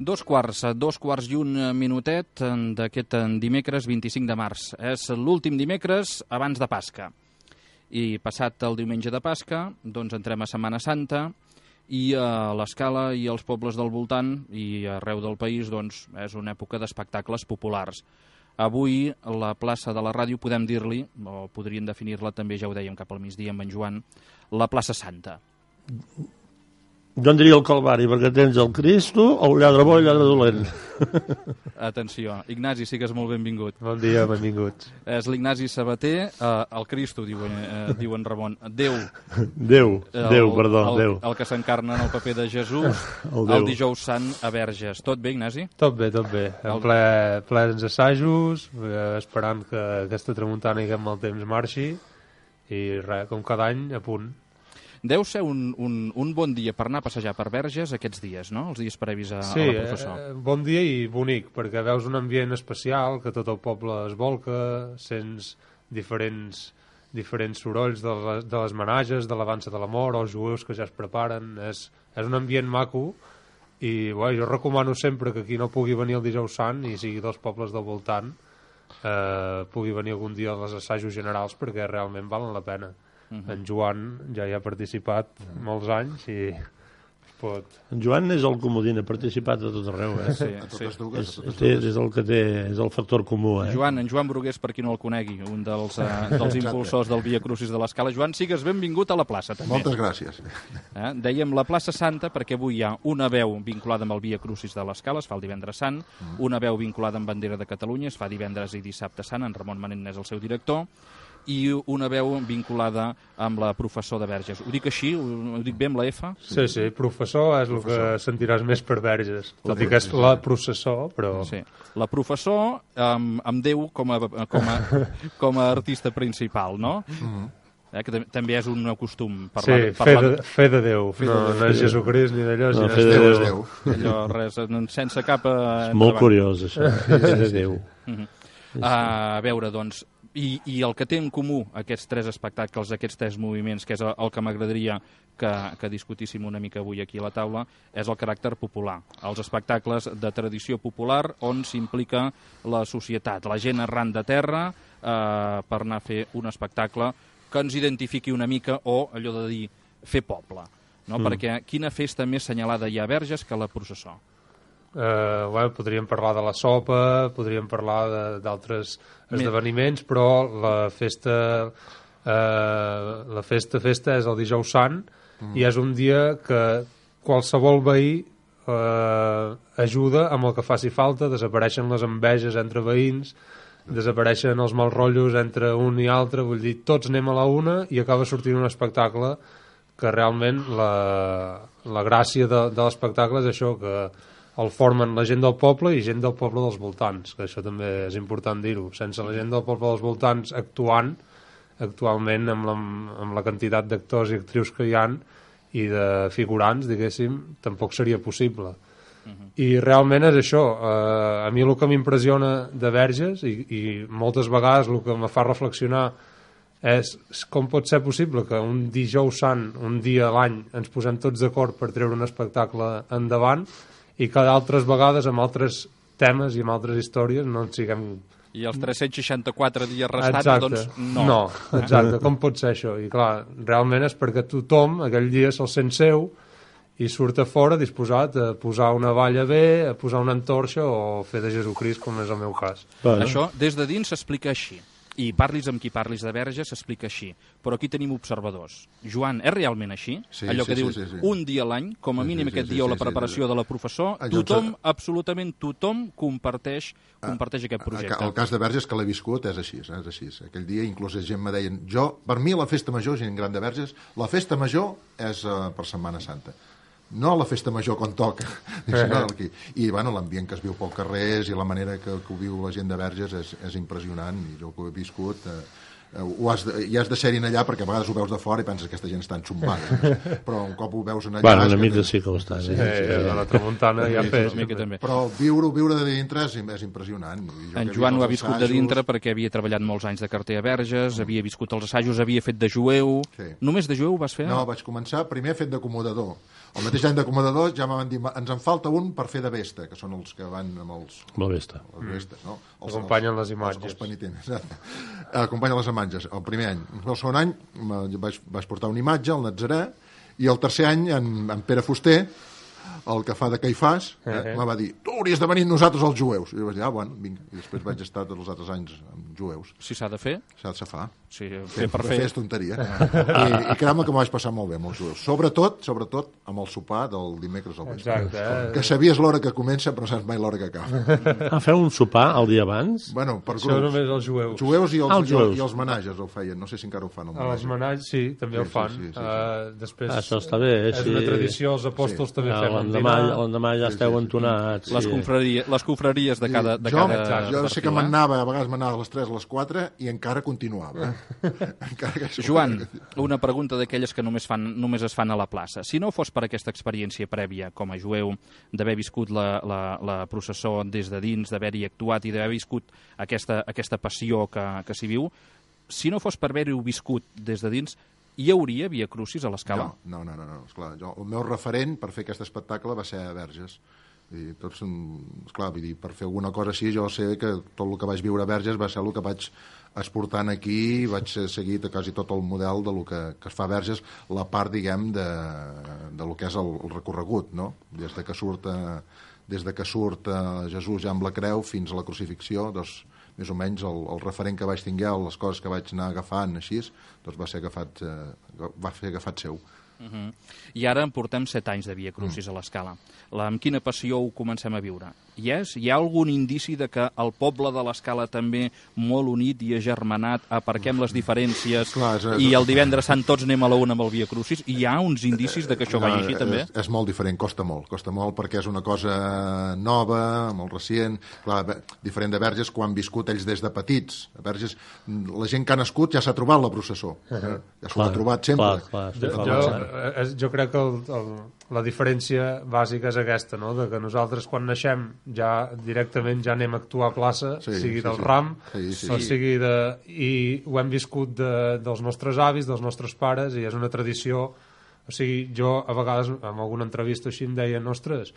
Dos quarts i un minutet d'aquest dimecres 25 de març. És l'últim dimecres abans de Pasca. I passat el diumenge de Pasca, doncs entrem a Setmana Santa i a l'Escala i als pobles del voltant i arreu del país doncs, és una època d'espectacles populars. Avui la plaça de la ràdio podem dir-li, o podríem definir-la també, ja ho dèiem cap al migdia amb en Joan, la plaça Santa. Jo en diria el Calvari, perquè tens el Cristo, el lladre bo i el lladre dolent. Atenció, Ignasi, sigues molt benvingut. Bon dia, benvinguts. És l'Ignasi Sabater, el Cristo, diuen Ramon. Déu. Déu. El que s'encarna en el paper de Jesús, el dijous sant a Verges. Tot bé, Ignasi? Tot bé. En plens assajos, esperant que aquesta tramuntana i aquest mal temps marxi, i res, com cada any, a punt. Deu ser un bon dia per anar a passejar per Verges aquests dies, no? Els dies previs a la processó. Sí, bon dia i bonic, perquè veus un ambient especial, que tot el poble es volca, sents diferents sorolls de les menages, de l'avança de la mort, els jueus que ja es preparen. És un ambient maco i jo recomano sempre que qui no pugui venir el dijous sant i sigui dels pobles del voltant pugui venir algun dia als assajos generals, perquè realment valen la pena. En Joan ja hi ha participat molts anys i pot... En Joan és el comodín, ha participat a tot arreu. Sí. És el que té, és el factor comú. En Joan Brugués, per qui no el conegui, un dels impulsors del Via Crucis de l'Escala. Joan, sigues benvingut a la plaça, també. Moltes gràcies. Dèiem la plaça Santa perquè avui hi ha una veu vinculada amb el Via Crucis de l'Escala, es fa el divendres sant, una veu vinculada amb Bandera de Catalunya, es fa divendres i dissabte sant, en Ramon Manent és el seu director, i una veu vinculada amb la professor de Verges. Ho dic així? Ho dic bé amb la F? Sí, professor és el que sentiràs més per Verges. Tot i que és la processó, però... Sí. La professor amb Déu com a artista principal, no? Que també és un costum parlar... Sí, fe de Déu. No és Jesucrist ni d'allò, sinó és Déu. Allò, res, sense cap... És molt curiós, això. Fe de Déu. A veure, doncs, i el que té en comú aquests tres espectacles, aquests tres moviments, que és el que m'agradaria que discutíssim una mica avui aquí a la taula, és el caràcter popular. Els espectacles de tradició popular on s'implica la societat, la gent arran de terra, per anar a fer un espectacle que ens identifiqui una mica, o allò de dir fer poble. No? Perquè quina festa més senyalada hi ha a Verges que la processó? Podríem parlar de la sopa, podríem parlar d'altres esdeveniments, però la festa és el dijous sant i és un dia que qualsevol veí ajuda amb el que faci falta. Desapareixen les enveges entre veïns, desapareixen els mals rotllos entre un i altre, vull dir, tots anem a la una i acaba sortint un espectacle que realment la gràcia de l'espectacle és això, que el formen la gent del poble i gent del poble dels voltants, que això també és important dir-ho. Sense la gent del poble dels voltants actualment amb la quantitat d'actors i actrius que hi ha i de figurants, diguéssim, tampoc seria possible. I realment és això. A mi el que m'impressiona de Verges i moltes vegades el que me fa reflexionar és com pot ser possible que un dijous sant, un dia a l'any, ens posem tots d'acord per treure un espectacle endavant i que d'altres vegades amb altres temes i amb altres històries no en siguem... I els 364 dies restants, doncs no. No, exacte, com pot ser això? I clar, realment és perquè tothom aquell dia se'l sent seu i surt a fora disposat a posar una valla bé, a posar una antorxa o fer de Jesucrist, com és el meu cas. Això des de dins s'explica així. I parlis amb qui parlis de Verges s'explica així. Però aquí tenim observadors. Joan, és realment així? Allò que dius, un dia a l'any, com a mínim aquest dia o la preparació de la professor, tothom, absolutament tothom, comparteix aquest projecte. El cas de Verges, que l'he viscut, és així. Aquell dia inclús gent me deien, per mi la festa major, gent gran de Verges, la festa major és per Setmana Santa. No la festa major quan toca. I l'ambient que es viu pel carrer i la manera que ho viu la gent de Verges és impressionant, i jo que ho he viscut ja has de ser-hi allà perquè a vegades ho veus de fora i penses que aquesta gent està enxumbant, però un cop ho veus allà... Bueno, una mica sí que ho estan. A la tramuntana ja fes. Però viure de dintre és impressionant. En Joan ho ha viscut de dintre perquè havia treballat molts anys de carter a Verges, havia viscut els assajos, havia fet de jueu... Només de jueu vas fer? No, vaig començar primer fet d'acomodador. El mateix any d'acomodador ja m'han dit ens en falta un per fer de vesta, que són els que van amb els... La vesta. Les vestes, no? Acompanyen les imatges. Els penitents. Acompanyen les imatges. El primer any. El segon any vaig portar una imatge, el Natzarè, i el tercer any en Pere Fuster, el que fa de Caifàs, me va dir, tu hauries de venir amb nosaltres els jueus. I jo vaig dir, bueno, vinga. I després vaig estar tots els altres anys amb jueus. Si s'ha de fer? S'ha de fer. Sí, fer per fer. És tonteria. I creu-me que m'ho vaig passar molt bé amb els jueus. Sobretot amb el sopar del dimecres al vespre. Exacte. Que sabies l'hora que comença, però no saps mai l'hora que acaba. Feu un sopar el dia abans? Bueno, per Això grups. només els jueus. Jueus i els menatges ho feien. No sé si encara ho fan. Els menatges, sí, també ho fan. Després, això està bé, és una tradició, els apòstols també fem un dinar. L'endemà ja esteu entonats. Les confraries de cada... Jo sé que m'anava, a vegades m'anava a les 3, a les 4 i encara continuava. Joan, una pregunta d'aquelles que només es fan a la plaça. Si no fos per aquesta experiència prèvia com a jueu, d'haver viscut la processó des de dins, d'haver-hi actuat i d'haver viscut aquesta passió que s'hi viu, si no fos per haver-ho viscut des de dins, hi hauria Via Crucis a l'Escala? No. Esclar, el meu referent per fer aquest espectacle va ser a Verges. Esclar, vull dir, per fer alguna cosa així, jo sé que tot el que vaig viure a Verges va ser el que vaig exportant aquí i vaig seguir quasi tot el model de lo que es fa a Verges, la part, diguem, de lo que és el recorregut, no? Des de que surt Jesús ja amb la creu fins a la crucifixió, doncs més o menys el referent que vaig tinguer, les coses que vaig anar agafant així, doncs va ser agafat seu. I ara en portem 7 anys de Via Crucis a l'Escala. Amb quina passió ho comencem a viure? Hi ha algun indici de que el poble de l'Escala també, molt unit i agermanat, aparquem les diferències i el divendres sant tots anem a la una amb el Via Crucis? Hi ha uns indicis de que això vagi així també? És molt diferent, costa molt perquè és una cosa nova, molt recient, clar, diferent de Verges quan han viscut ells des de petits. A Verges, la gent que ha nascut ja s'ha trobat la processó, ja s'ho ha trobat sempre. Jo crec que la diferència bàsica és aquesta, no? De que nosaltres quan naixem ja directament ja anem a actuar a plaça, sigui del ram, o sigui i ho hem viscut dels nostres avis, dels nostres pares, i és una tradició. O sigui, jo a vegades en alguna entrevista així em deien, ostres,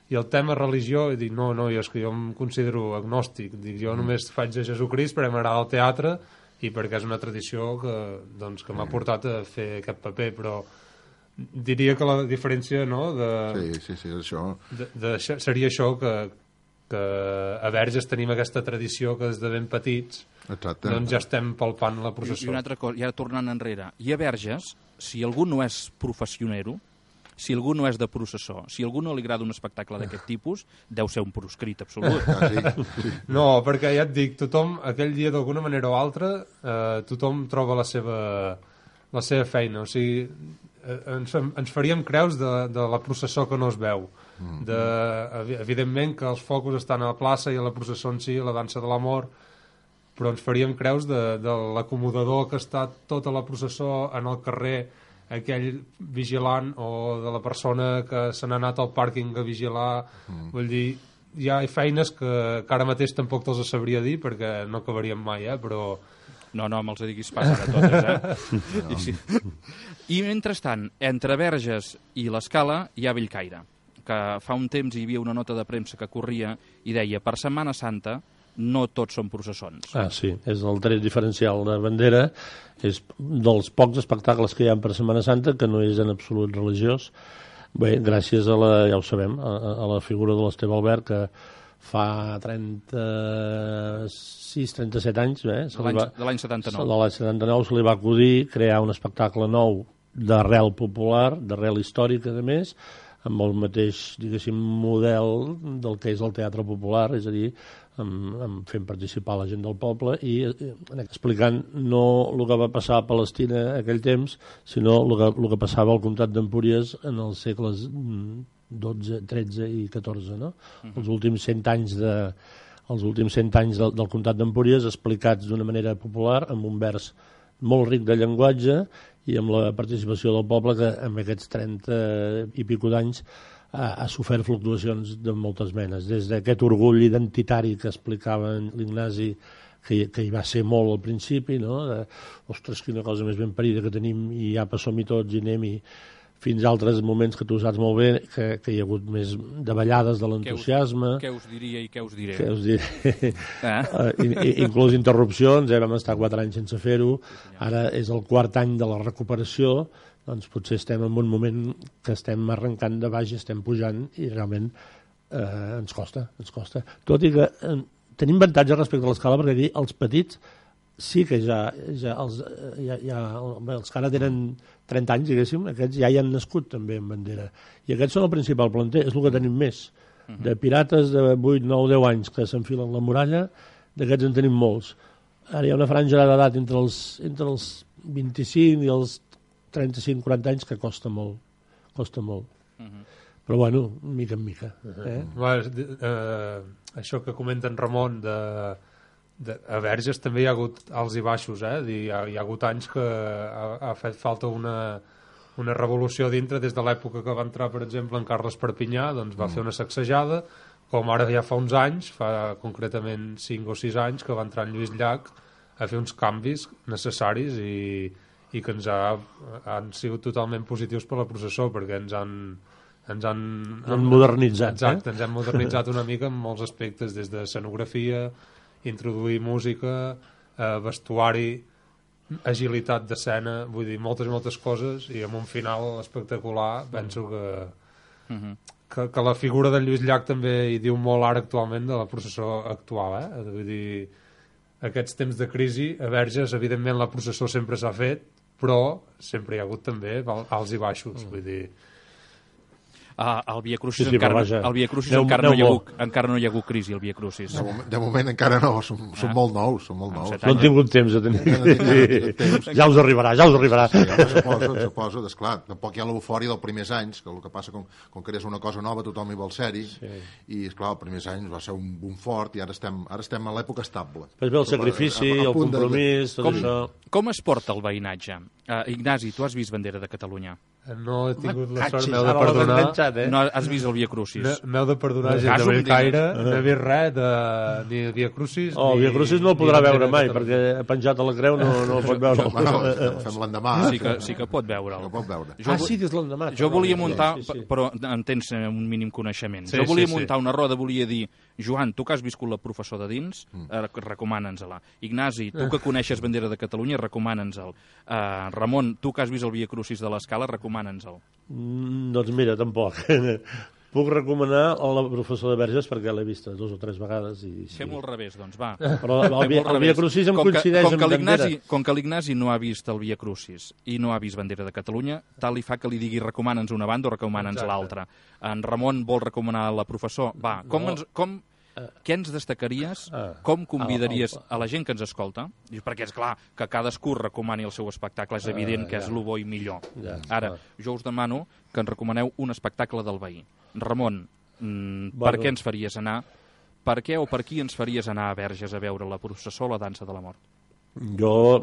i el tema religió, i dic, no, és que jo em considero agnòstic, dic, jo només faig de Jesucrist perquè m'agrada el teatre i perquè és una tradició que m'ha portat a fer aquest paper, però diria que la diferència, no, això. Seria això, que a Verges tenim aquesta tradició que des de ben petits doncs ja estem palpant la processó. I una altra cosa, ja tornant enrere, i a Verges, si algú no és professionero, si algú no és de processó, si algú no li agrada un espectacle d'aquest tipus, deu ser un proscrit absolut. No, perquè ja et dic, tothom, aquell dia d'alguna manera o altra, tothom troba la seva feina, o sigui, ens faríem creus de la processó que no es veu. Evidentment que els focus estan a la plaça i a la processó en si, a la dansa de l'amor, però ens faríem creus de l'acomodador que està tota la processó en el carrer, aquell vigilant, o de la persona que se n'ha anat al pàrquing a vigilar. Vull dir, hi ha feines que ara mateix tampoc te'ls sabria dir perquè no acabaríem mai, però... No, me'ls diguis pas ara totes, I mentrestant, entre Verges i l'Escala hi ha Bellcaire, que fa un temps hi havia una nota de premsa que corria i deia, per Setmana Santa no tots són processons. Sí, és el tret diferencial de bandera, és dels pocs espectacles que hi ha per Setmana Santa que no és en absolut religiós. Bé, gràcies a ja ho sabem, a la figura de l'Esteve Albert, que fa 37 anys, de l'any 79. De l'any 79 se li va acudir crear un espectacle nou d'arrel popular, d'arrel històrica, a més, amb el mateix, diguéssim, model del que és el teatre popular, és a dir, fent participar la gent del poble i explicant no el que va passar a Palestina aquell temps, sinó el que passava al comtat d'Empúries en els segles XII, XIII i XIV, no? Els últims 100 anys els últims 100 anys del comtat d'Empúries explicats d'una manera popular, amb un vers molt ric de llenguatge i amb la participació del poble que en aquests 30 i pico d'anys ha sofert fluctuacions de moltes menes, des d'aquest orgull identitari que explicava l'Ignasi, que hi va ser molt al principi, no? Ostres, quina cosa més ben parida que tenim i ja som-hi tots i anem-hi, fins a altres moments que tu saps molt bé que hi ha hagut més davallades de l'entusiasme. Què us diria i què us diré? Què us diré? Inclús interrupcions, vam estar 4 anys sense fer-ho, ara és el 4 any de la recuperació, doncs potser estem en un moment que estem arrencant de baix i estem pujant i realment ens costa. Tot i que tenim avantatge respecte a l'escala perquè aquí els petits sí que ja els que ara tenen 30 anys, diguéssim, aquests ja hi han nascut també en bandera. I aquests són el principal planter, és el que tenim més. De pirates de 8, 9, 10 anys que s'enfilen la muralla, d'aquests en tenim molts. Ara hi ha una franja d'edat entre els 25 i els 35-40 anys que costa molt. Però bueno, mica en mica. Això que comenta en Ramon a Verges també hi ha hagut alts i baixos, hi ha hagut anys que ha fet falta una revolució dintre, des de l'època que va entrar, per exemple, en Carles Perpinyà, doncs va fer una sacsejada, com ara ja fa uns anys, fa concretament 5 o 6 anys, que va entrar en Lluís Llach a fer uns canvis necessaris i que han sigut totalment positius per la processó, perquè ens han modernitzat. Exacte, ens hem modernitzat una mica en molts aspectes, des de escenografia, introduir música, vestuari, agilitat d'escena, vull dir, moltes coses, i amb un final espectacular. Penso que la figura de Lluís Llach també hi diu molt ara actualment de la processó actual, vull dir, aquests temps de crisi a Verges, evidentment la processó sempre s'ha fet, però sempre hi ha hagut també alts i baixos, vull dir. El Via Crucis encara no hi ha hagut crisi, el Via Crucis. De moment encara no, som molt nous. No han tingut temps de tenir. Ja us arribarà. Sí, suposo, esclar, tampoc hi ha l'eufòria dels primers anys, que el que passa com que és una cosa nova, tothom hi vol ser-hi, i esclar, els primers anys va ser un boom fort i ara estem a l'època estable. Després ve el sacrifici, el compromís, tot això. Com es porta el veïnatge? Ignasi, tu has vist Bandera de Catalunya? No he tingut la sort, m'heu de perdonar. No has vist el Via Crucis? M'heu de perdonar, gent de Bellcaire, no he vist res ni de Via Crucis. El Via Crucis no el podrà veure mai, perquè penjat a la creu no el pot veure. Fem l'endemà. Sí que pot veure'l. Sí que és l'endemà. Jo volia muntar, però en tens un mínim coneixement. Jo volia muntar una roda, volia dir, Joan, tu que has viscut la professor de dins, recomana'ns-la. Ignasi, tu que coneixes Bandera de Catalunya, recomana'ns-el. Ramon, tu que has vist el Via Crucis de l'Escala, recomana'ns-el. Doncs mira, tampoc. Puc recomanar la professor de Verges perquè l'he vista 2 o 3 vegades. Fem-ho al revés, doncs, va. Però el Via Crucis em coincideix amb Bandera. Com que l'Ignasi no ha vist el Via Crucis i no ha vist Bandera de Catalunya, tal li fa que li digui recomana'ns una banda o recomana'ns l'altra. En Ramon vol recomanar la professor. Va, què ens destacaries? Com convidaries a la gent que ens escolta? Perquè és clar que cadascú recomani el seu espectacle, és evident que és el bo i millor. Ara, jo us demano que ens recomaneu un espectacle del veí. Ramon, per què ens faries anar? Per què o per qui ens faries anar a Verges a veure la processó o la dansa de la mort? Jo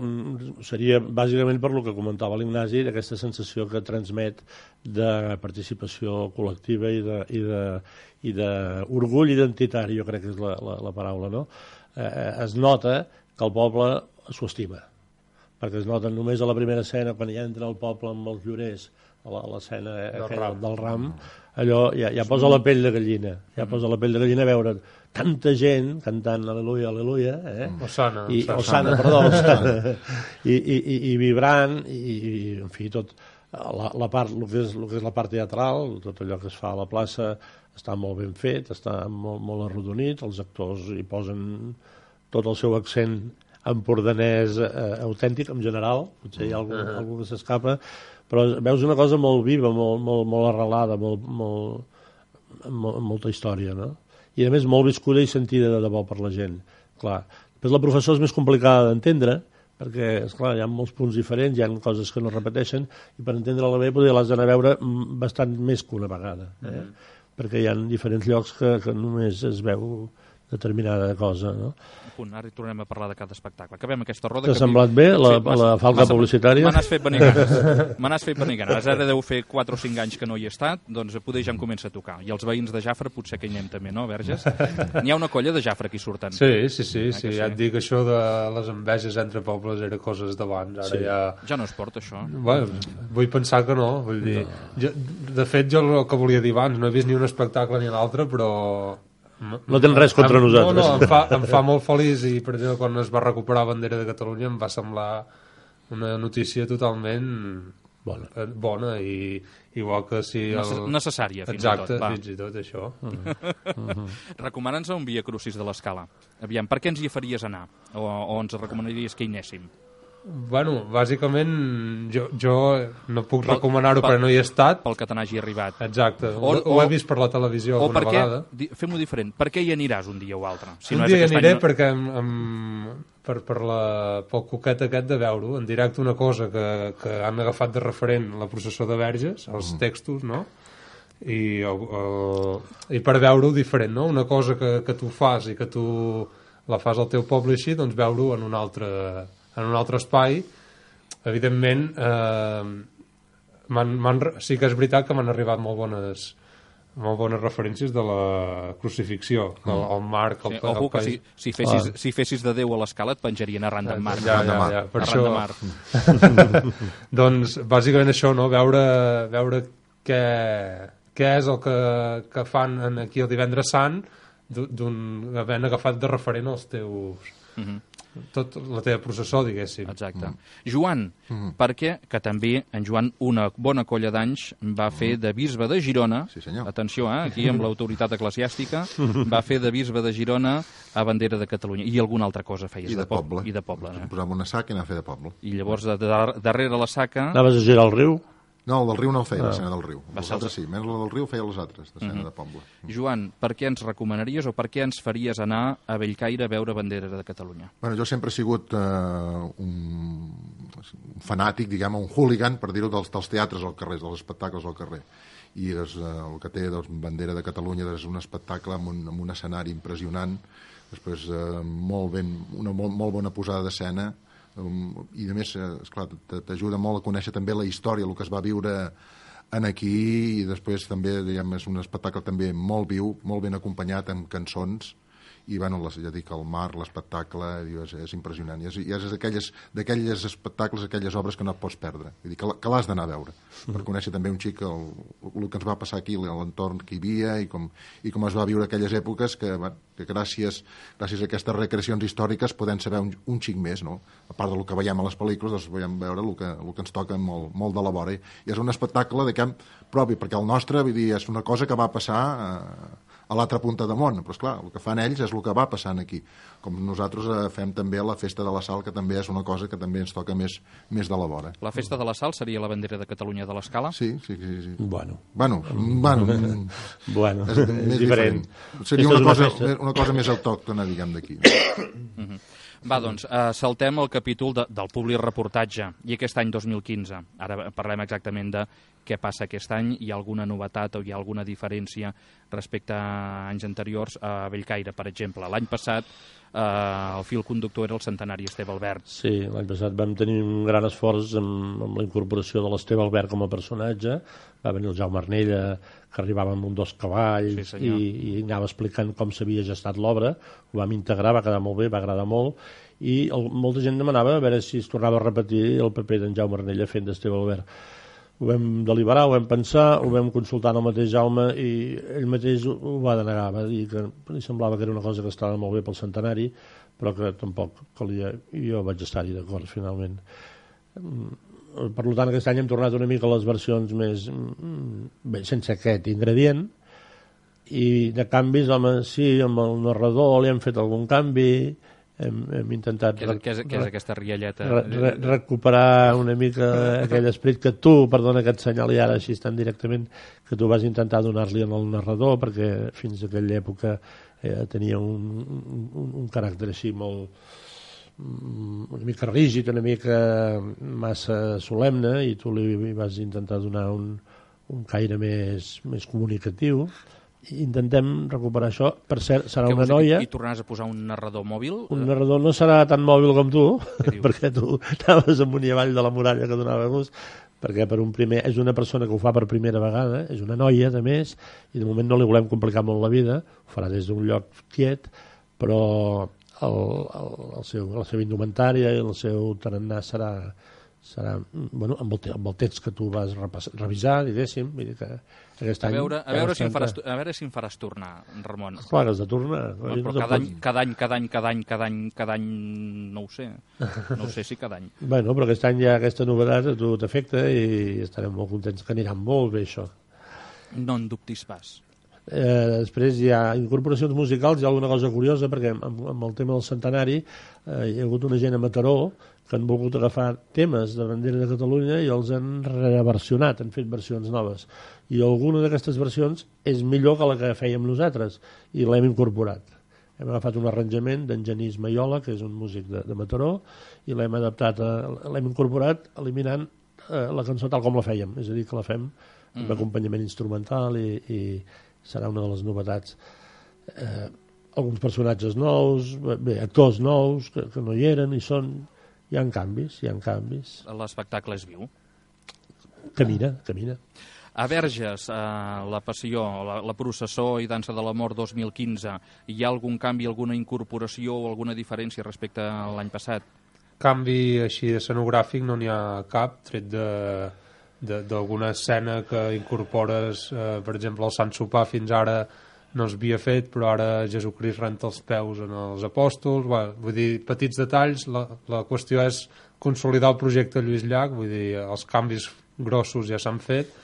seria bàsicament per lo que comentava l'Ignasi, d'aquesta sensació que transmet de participació col·lectiva i d'orgull identitari, jo crec que és la paraula, no? Es nota que el poble s'ho estima, perquè es nota només a la primera escena, quan ja entra el poble amb els llorers, a l'escena del ram, allò ja posa la pell de gallina, a veure tanta gent cantant Aleluia, Aleluia, Osana, i vibrant, i en fi, tot el que és la part teatral, tot allò que es fa a la plaça està molt ben fet, està molt arrodonit, els actors hi posen tot el seu accent empordanès autèntic en general, potser hi ha algú que s'escapa, però veus una cosa molt viva, molt arrelada, amb molta història, no? I a més molt viscuda i sentida de debò per la gent. Clar, després la professó és més complicada d'entendre, perquè, esclar, hi ha molts punts diferents, hi ha coses que no repeteixen, i per entendre-la bé potser l'has d'anar a veure bastant més que una vegada, perquè hi ha diferents llocs que només es veu determinada cosa, no? Ara hi tornem a parlar de cada espectacle. Acabem aquesta roda. T'ha semblat bé la falca publicitària? Me n'has fet venir ganes. Me n'has fet venir ganes. Ara deu fer 4 o 5 anys que no hi he estat, doncs poder ja em comença a tocar. I els veïns de Jafre potser que hi anem també, no, Verges? N'hi ha una colla de Jafre aquí surten. Sí. Ja et dic, això de les enveges entre pobles era coses d'abans. Ara ja no es porta, això. Bueno, vull pensar que no. Vull dir, de fet, jo el que volia dir abans, no he vist ni un espectacle ni l'altre, però... No tens res contra nosaltres. No, em fa molt feliç i, per exemple, quan es va recuperar Bandera de Catalunya em va semblar una notícia totalment bona i igual que si... Necessària, fins Exacte, i tot. Fins i tot, això. Recomana'ns un Via Crucis de l'Escala. Aviam, per què ens hi faries anar? O ens recomanaries que hi anéssim? Bueno, bàsicament jo no puc recomanar-ho perquè no hi he estat. Pel que te n'hagi arribat. Exacte, ho he vist per la televisió alguna vegada. Fem-ho diferent, per què hi aniràs un dia o altre? Un dia hi aniré perquè pel coquet aquest de veure-ho en directe, una cosa que han agafat de referent la processó de Verges, els textos, no? I per veure-ho diferent, no? Una cosa que tu fas i que tu la fas al teu poble així, doncs veure-ho en un altre espai. Evidentment sí que és veritat que m'han arribat molt bones referències de la crucifixió, el Marc, ojo que si fessis de Déu a l'Escala et penjarien arran d'en Marc. Ja, per això. Doncs bàsicament això, no? Veure què és el que fan aquí el Divendres Sant, havent agafat de referent els teus... tot la teva processó, diguéssim. Exacte. Joan, perquè que també en Joan una bona colla d'anys va fer de bisbe de Girona, atenció, aquí amb l'autoritat eclesiàstica, va fer de bisbe de Girona a Bandera de Catalunya. I alguna altra cosa feies? I de poble. I de poble. Posava una saca i anava a fer de poble. I llavors, darrere la saca... Anaves a girar el riu? No, el del riu no el feia, l'escena del riu. Els altres sí, menys el del riu feia les altres, l'escena de poble. Joan, per què ens recomanaries o per què ens faries anar a Bellcaire a veure Bandera de Catalunya? Bueno, jo sempre he sigut un fanàtic, diguem, un hooligan, per dir-ho, dels teatres al carrer, dels espectacles al carrer. I el que té Bandera de Catalunya és un espectacle amb un escenari impressionant, després una molt bona posada d'escena, i a més, esclar, t'ajuda molt a conèixer també la història, el que es va viure aquí, i després també, diguem, és un espectacle també molt viu, molt ben acompanyat amb cançons, i bueno, ja dic, el mar, l'espectacle és impressionant, i és d'aquelles espectacles, aquelles obres que no et pots perdre, vull dir, que l'has d'anar a veure per conèixer també un xic el que ens va passar aquí, l'entorn que hi havia i com es va viure aquelles èpoques que gràcies a aquestes recreacions històriques podem saber un xic més, no? A part del que veiem a les pel·lícules, doncs veiem veure el que ens toca molt de la vora, i és un espectacle de camp propi, perquè el nostre, vull dir, és una cosa que va passar a l'altra punta de món, però esclar, el que fan ells és el que va passant aquí, com nosaltres fem també la Festa de la Sal, que també és una cosa que també ens toca més de la vora. La Festa de la Sal seria la Bandera de Catalunya de l'Escala? Sí. Bueno, és diferent. Seria una cosa més autòctona, diguem, d'aquí. Va, doncs, saltem el capítol del public reportatge, i aquest any 2015. Ara parlem exactament de què passa aquest any, hi ha alguna novetat o hi ha alguna diferència respecte a anys anteriors a Bellcaire, per exemple. L'any passat el fil conductor era el centenari Esteve Albert. Sí, l'any passat vam tenir un gran esforç amb la incorporació de l'Esteve Albert com a personatge. Va venir el Jaume Arnella, que arribava amb un 2 cavalls, i anava explicant com s'havia gestat l'obra. Ho vam integrar, va quedar molt bé, va agradar molt, i molta gent demanava a veure si es tornava a repetir el paper d'en Jaume Arnella fent d'Esteve Albert. Ho vam deliberar, ho vam pensar, ho vam consultar amb el mateix Jaume, i ell mateix ho va denegar, va dir que li semblava que era una cosa que estava molt bé pel centenari, però que tampoc calia, i jo vaig estar-hi d'acord finalment. Per tant, aquest any hem tornat una mica a les versions més sense aquest ingredient, i de canvis, home, sí, amb el narrador li hem fet algun canvi, hem intentat què és aquesta rialleta? Recuperar una mica aquell esperit que tu, perdona que et senyali ara així tan directament, que tu vas intentar donar-li al narrador, perquè fins a aquella època tenia un caràcter així molt una mica rígid, una mica massa solemne, i tu li vas intentar donar un caire més comunicatiu, intentem recuperar això. Per cert, serà una noia... I tornaràs a posar un narrador mòbil? Un narrador no serà tan mòbil com tu, perquè tu anaves amunt i avall de la muralla que donava gust, perquè per un primer és una persona que ho fa per primera vegada, és una noia, de més, i de moment no li volem complicar molt la vida, ho farà des d'un lloc quiet, però la seva indumentària i el seu tarannà serà bueno, amb el text que tu vas revisar, diguéssim, vull dir que aquest any... A veure si em faràs tornar, Ramon. Clar, has de tornar. Però cada any, no ho sé. No ho sé si cada any. Bueno, però aquest any hi ha aquesta novetat, a tu t'afecta i estarem molt contents, que anirà molt bé això. No en dubtis pas. Després hi ha incorporacions musicals, hi ha alguna cosa curiosa, perquè amb el tema del centenari hi ha hagut una gent a Mataró que han volgut agafar temes de bandera de Catalunya i els han reversionat, han fet versions noves. I alguna d'aquestes versions és millor que la que fèiem nosaltres, i l'hem incorporat. Hem agafat un arranjament d'en Genís Maiola, que és un músic de Mataró, i l'hem adaptat, l'hem incorporat eliminant la cançó tal com la fèiem, és a dir, que la fem amb acompanyament instrumental i serà una de les novetats. Alguns personatges nous, actors nous que no hi eren i són... Hi ha canvis. L'espectacle és viu. Camina. A Verges, la Passió, la Processó i Dansa de la Mort 2015, hi ha algun canvi, alguna incorporació o alguna diferència respecte a l'any passat? Canvi així escenogràfic no n'hi ha cap, tret d'alguna escena que incorpores, per exemple, el Sant Sopar fins ara no s'havia fet, però ara Jesucrist renta els peus en els apòstols, vull dir, petits detalls. La qüestió és consolidar el projecte Lluís Llach, vull dir, els canvis grossos ja s'han fet,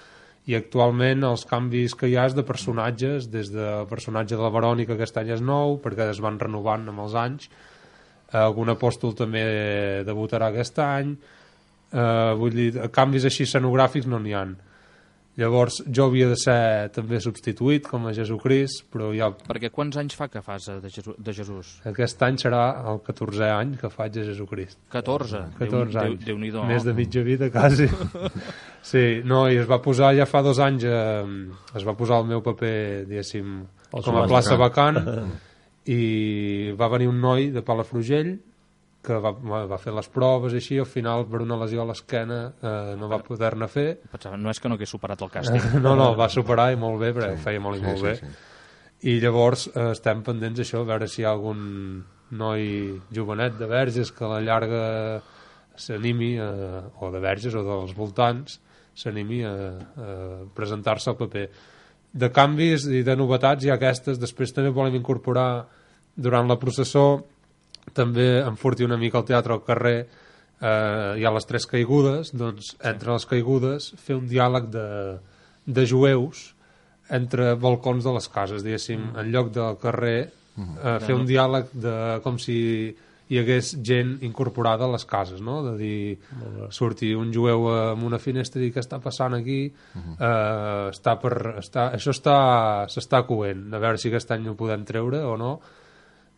i actualment els canvis que hi ha és de personatges, des del personatge de la Verònica, que aquest any és nou, perquè es van renovant amb els anys, algun apòstol també debutarà aquest any, vull dir, canvis així escenogràfics no n'hi ha. Llavors jo havia de ser també substituït com a Jesucrist, però ja... Perquè quants anys fa que fas de Jesús? Aquest any serà el 14è any que faig de Jesucrist. 14 anys. Déu-n'hi-do. Més de mitja vida, quasi. Sí, no, i es va posar ja fa 2 anys, es va posar el meu paper, diguéssim, com a plaça vacant, i va venir un noi de Palafrugell que va fer les proves i així, al final per una lesió a l'esquena no va poder-ne fer. Pensava, no és que no hagués superat el càsting. No, va superar i molt bé, perquè ho feia molt i molt bé. I llavors estem pendents d'això, a veure si hi ha algun noi jovenet de Verges que a la llarga s'animi, o de Verges o dels voltants, s'animi a presentar-se al paper. De canvis i de novetats hi ha aquestes, després també volem incorporar durant la processó també enfortir una mica el teatre al carrer. Hi ha les 3 caigudes, doncs entre les caigudes fer un diàleg de jueus entre balcons de les cases, diguéssim, en lloc del carrer, fer un diàleg com si hi hagués gent incorporada a les cases, no? De dir, sortir un jueu amb una finestra i dir què està passant aquí, això s'està coent, a veure si aquest any ho podem treure o no.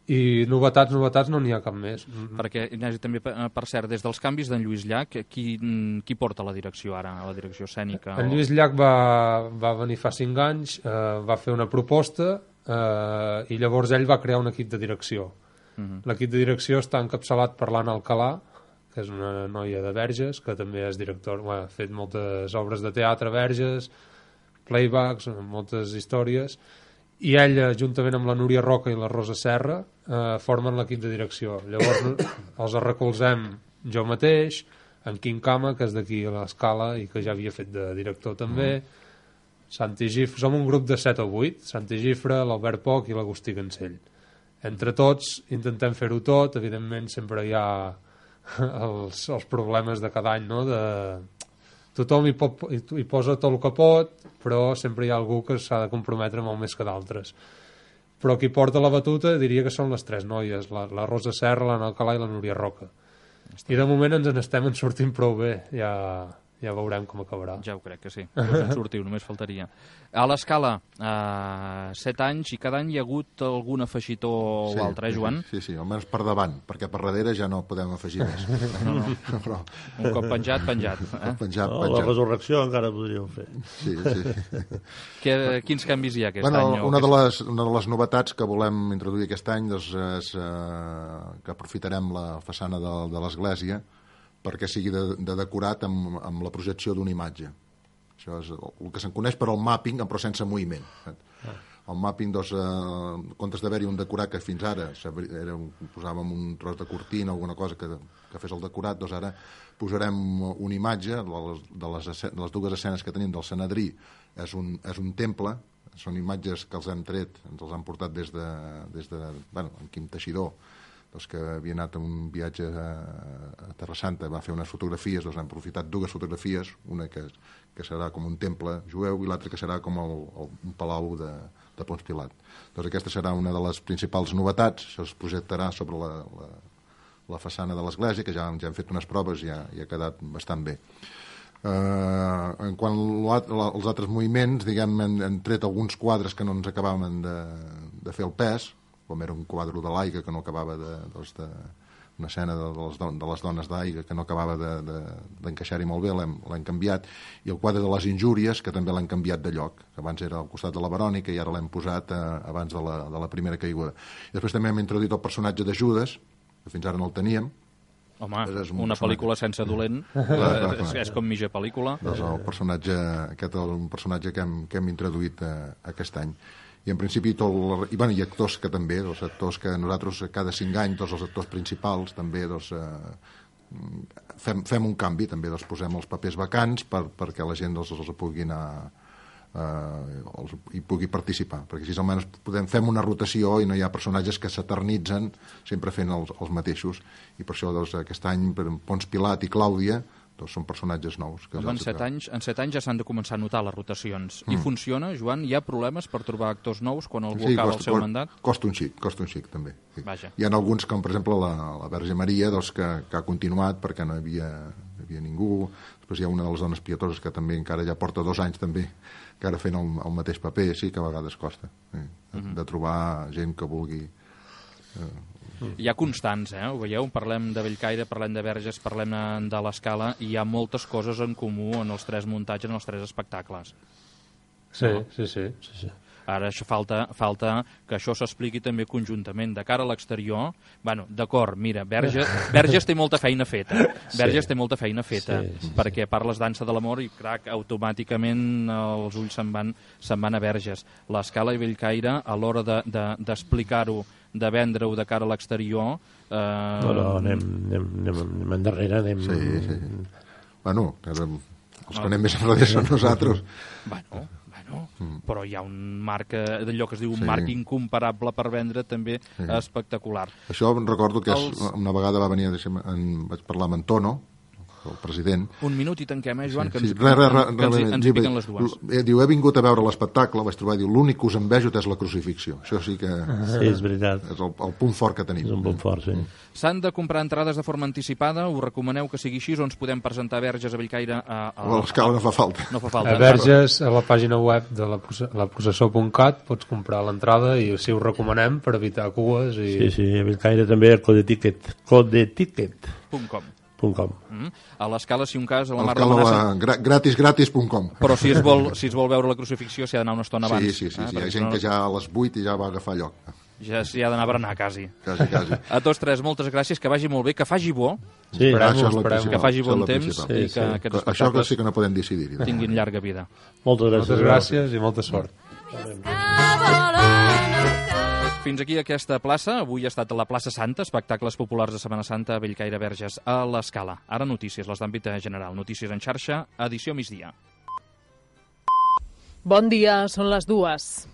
I novetats no n'hi ha cap més. Perquè, Ignasi, també, per cert, des dels canvis d'en Lluís Llach, qui porta la direcció ara, la direcció escènica? En Lluís Llach va venir fa 5 anys, va fer una proposta i llavors ell va crear un equip de direcció. L'equip de direcció està encapçalat per l'Anna Alcalà, que és una noia de Verges, que també és director, ha fet moltes obres de teatre a Verges, playbacks, moltes històries, i ella, juntament amb la Núria Roca i la Rosa Serra, formen l'equip de direcció. Llavors els recolzem jo mateix, en Quim Cama, que és d'aquí a l'Escala i que ja havia fet de director també, Santi Gifre, som un grup de 7 o 8, Santi Gifre, l'Albert Poch i l'Agustí Cancell. Entre tots intentem fer-ho tot, evidentment sempre hi ha els problemes de cada any, no? Tothom hi posa tot el que pot, però sempre hi ha algú que s'ha de comprometre molt més que d'altres. Però qui porta la batuta diria que són les 3 noies, la Rosa Serra, l'Anna Alcalà i la Núria Roca. I de moment ens n'estem sortint prou bé. Hi ja veurem com acabarà. Ja ho crec que sí. Us en sortiu, només faltaria. A l'Escala, 7 anys, i cada any hi ha hagut algun afegitó o altre, Joan? Sí, almenys per davant, perquè per darrere ja no podem afegir més. No. Però... Un cop penjat. Penjat. La resurrecció encara podríeu fer. Sí. Quins canvis hi ha aquest any? Una de les novetats que volem introduir aquest any és que aprofitarem la façana de l'església perquè sigui de decorat amb la projecció d'una imatge. Això és el que se'n coneix per al mapping, però sense moviment. El mapping, en comptes d'haver-hi un decorat que fins ara posàvem un tros de cortina o alguna cosa que fes el decorat, doncs ara posarem una imatge de les dues escenes que tenim del Sanedrí. És un temple, són imatges que els hem tret, ens els han portat des de en Quim Teixidor, que havia anat a un viatge a Terra Santa, va fer unes fotografies, doncs han aprofitat dues fotografies, una que serà com un temple jueu i l'altra que serà com un palau de Ponç Pilat. Doncs aquesta serà una de les principals novetats, això es projectarà sobre la façana de l'església, que ja hem fet unes proves i ha quedat bastant bé. En quant als altres moviments, diguem, hem tret alguns quadres que no ens acabaven de fer el pes, com era un quadre de l'Aiga que no acabava una escena de les dones d'Aiga que no acabava d'encaixar-hi molt bé, l'hem canviat, i el quadre de les injúries, que també l'hem canviat de lloc, que abans era al costat de la Verònica i ara l'hem posat abans de la primera caiguda. I després també hem introduït el personatge de Judes, que fins ara no el teníem. Home, una pel·lícula sense dolent és com mitja pel·lícula. Doncs el personatge, aquest és un personatge que hem introduït aquest any. I en principi i actors que també, els actors que nosaltres cada 5 anys, els actors principals també fem un canvi, també posem els papers vacants perquè la gent els pugui anar i pugui participar, perquè així almenys fem una rotació i no hi ha personatges que s'eternitzen sempre fent els mateixos, i per això aquest any Ponç Pilat i Clàudia són personatges nous. En 7 anys ja s'han de començar a notar les rotacions. I funciona, Joan? Hi ha problemes per trobar actors nous quan algú acaba el seu mandat? Costa un xic, també. Sí. Vaja. Hi ha alguns, com per exemple la Verge Maria, que ha continuat perquè no hi havia ningú. Després hi ha una de les dones pietoses que també encara ja porta 2 anys també, que ara fent el mateix paper, sí que a vegades costa de trobar gent que vulgui... Hi ha constants, ho veieu? Parlem de Bellcaire, parlem de Verges, parlem de l'Escala, i hi ha moltes coses en comú en els 3 muntatges, en els 3 espectacles. Sí. Ara falta que això s'expliqui també conjuntament. De cara a l'exterior, d'acord, mira, Verges té molta feina feta. Té molta feina feta, perquè parles dansa de l'amor i, crac, automàticament els ulls se'n van a Verges. L'Escala i Bellcaire, a l'hora d'explicar-ho, de vendre-ho de cara a l'exterior... Anem endarrere, anem... Sí. Els que anem més enrere són nosaltres. Però hi ha un marc, d'allò que es diu un marc incomparable per vendre, també espectacular. Això recordo que una vegada va venir, vaig parlar amb en Tono, el president. Un minut i tanquem, Joan, que ens piquen les dues. Diu, he vingut a veure l'espectacle, vaig trobar, diu, l'únic que us envejo és la crucifixió. Això sí que... Sí, és veritat. És el punt fort que tenim. És un punt fort, sí. S'han de comprar entrades de forma anticipada, us recomaneu que sigui així, o ens podem presentar a Verges, a Bellcaire... A l'Escala no fa falta. A Verges, a la pàgina web de laprocessó.cat pots comprar l'entrada i així ho recomanem per evitar cues. Sí, a Bellcaire també a codeticket.com. A l'Escala, si un cas, a la Mar de Manassa... gratis.com. Però si es vol veure la crucifixió s'hi ha d'anar una estona abans. Sí. Hi ha gent que ja a les 8 ja va agafar lloc. Ja s'hi ha d'anar a berenar, quasi. Quasi. A tots 3, moltes gràcies, que vagi molt bé, que faci bo. Sí, que faci bon temps i que aquests això que sí que no podem decidir. Tinguin llarga vida. Moltes gràcies i molta sort. Fins aquí aquesta plaça. Avui ha estat la plaça Santa, espectacles populars de Setmana Santa a Bellcaire, Verges, a l'Escala. Ara notícies, les d'àmbit general. Notícies en xarxa, edició migdia. Bon dia, són les 2.